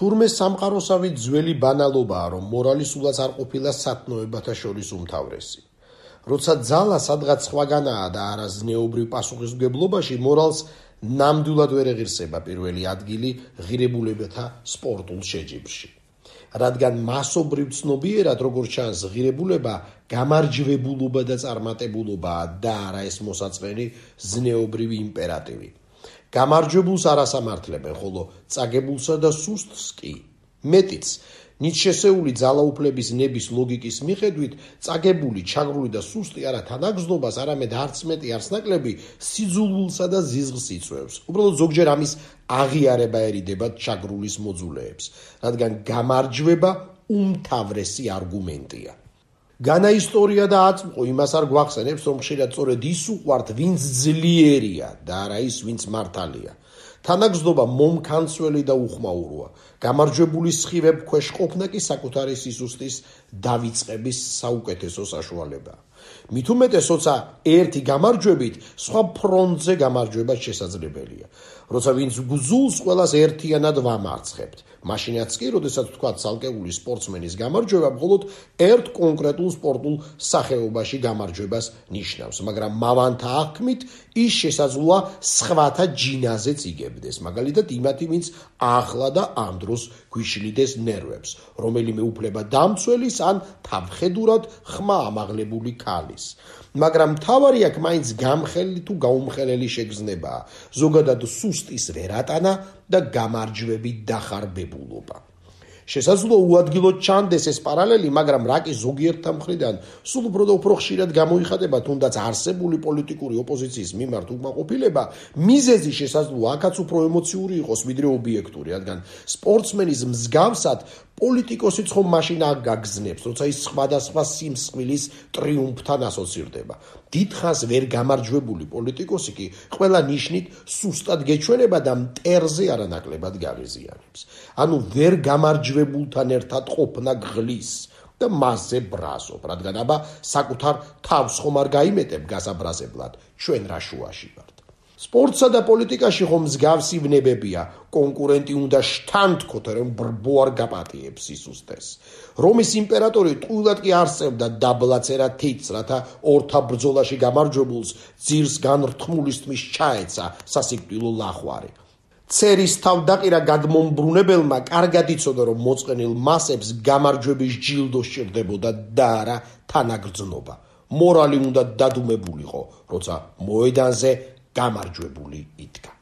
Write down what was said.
თურმე სამყაროსავით ძველი ბანალობაა, რომ მორალი სულაც არ ყოფილა სათნოებათა შორის უმთავრესი. როცა ძალა სადღაც სხვაგანაა და არა ზნეობრივ პასუხისმგებლობაში, მორალს ნამდვილად ვერ ეღირსება პირველი ადგილი ღირებულებათა სპორტულ შეჯიბრში. რადგან მასობრივ ცნობიერად, როგორც ჩანს, ღირებულება გამარჯვებულობა და წარმატებულობაა და არა ეს მოსაწყენი ზნეობრივი იმპერატივი. გამარჯვებულს არ ასამართლებენ, ხოლო წაგებულსა და სუსტს კი. მეტიც, ნიჩშესეული ძალაუფლების ნების ლოგიკის მიხედვით, წაგებული, ჩაგრული და სუსტი არა თანაგრძნობას, არამედ არც მეტი, არც ნაკლები სიძულვილსა და ზიზღს იწვევს. უბრალოდ ზოგჯერ ამის აღიარება ერიდება ჩაგრულის მოძულეებს, რადგან გამარჯვება უმთავრესი არგუმენტია. განა ისტორია და აწმყო იმას არ გვახსენებს, რომ ხშირად სწორედ ის უყვართ, ვინც ძლიერია და არა ის, ვინც მართალია. თანაგრძნობა მომქანცველი და უხმაუროა. გამარჯვებული სხივებ ქვეშ ყოფნა კი საკუთარი სიზუსტის დავიწყების საუკეთესო საშუალებაა. მით უმეტესოცა ერთი გამარჯვებით სხვა ფრონტზე გამარჯვება შესაძლებელია. როცა ვინც გძულს ყველას ერთიანად ვამარცხებთ. მაშინაც კი, როდესაც ვთქვათ ცალკეული სპორტსმენის გამარჯვება მხოლოდ ერთ კონკრეტულ სპორტულ სახეობაში გამარჯვებას ნიშნავს, მაგრამ მავანთა აღქმით ის შესაძლოა სხვათა ჯინაზეც იგებდეს, მაგალითად იმათი, ვინც ახლა და ამ დროს გვიშლიდეს ნერვებს, რომელიმე უფლება დამცველის ან თავხედურად ხმა ამაღლებული ქალის. მაგრამ მთავარი აქ მაინც გამხელი თუ გაუმხელელი შეგრძნებაა, ზოგადად სუსტის ვერატანა და გამარჯვებით დახარბებულობა. შესაძლოა უადგილოდ ჩანდეს ეს პარალელი, მაგრამ რაკი ზოგიერთთა მხრიდან სულ უფრო და უფრო ხშირად გამოიხატება თუნდაც არსებული პოლიტიკური ოპოზიციის მიმართ უკმაყოფილება, მიზეზი შესაძლოა აქაც უფრო ემოციური იყოს, ვიდრე ობიექტური, რადგან სპორტსმენის მსგავსად პოლიტიკოსიც ხომ მაშინ აგაგზნებს, როცა ის სხვადასხვა სიმსხვილის ტრიუმფთან ასოცირდება. დიდხანს ვერ გამარჯვებული პოლიტიკოსი კი ყველა ნიშნით სუსტად გეჩვენება და მტერზე არანაკლებად გაღიზიანებს. ანუ ვერ გამარჯვებულთან ერთად ყოფნა გღლის და მასზე ბრაზობ, რადგან აბა საკუთარ თავს ხომ არ გაიმეტებ გასაბრაზებლად, ჩვენ რა შუაში ვართ. სპორტსა და პოლიტიკაში ხომ მსგავსი ვნებებია, კონკურენტი უნდა შთანთქოთ, რომ ბრბო არ გაპატიებს სისუსტეს. რომის იმპერატორი ტყუილად კი არ სწევდა დაბლაცერა თითს, რათა ორთა ბრძოლაში გამარჯვებულს ძირს განრთმულის თმის ჩაეცა სასიკვდილო ლახვარი. ცერის თავდაყირა გადმომბრუნებელმა კარგად იცოდა, რომ მოწყენილ მასებს გამარჯვების ჯილდო სჭირდებოდა და არა თანაგრძნობა. მორალი უნდა დადუმებულიყო, როცა მოედანზე გამარჯვებული იდგა.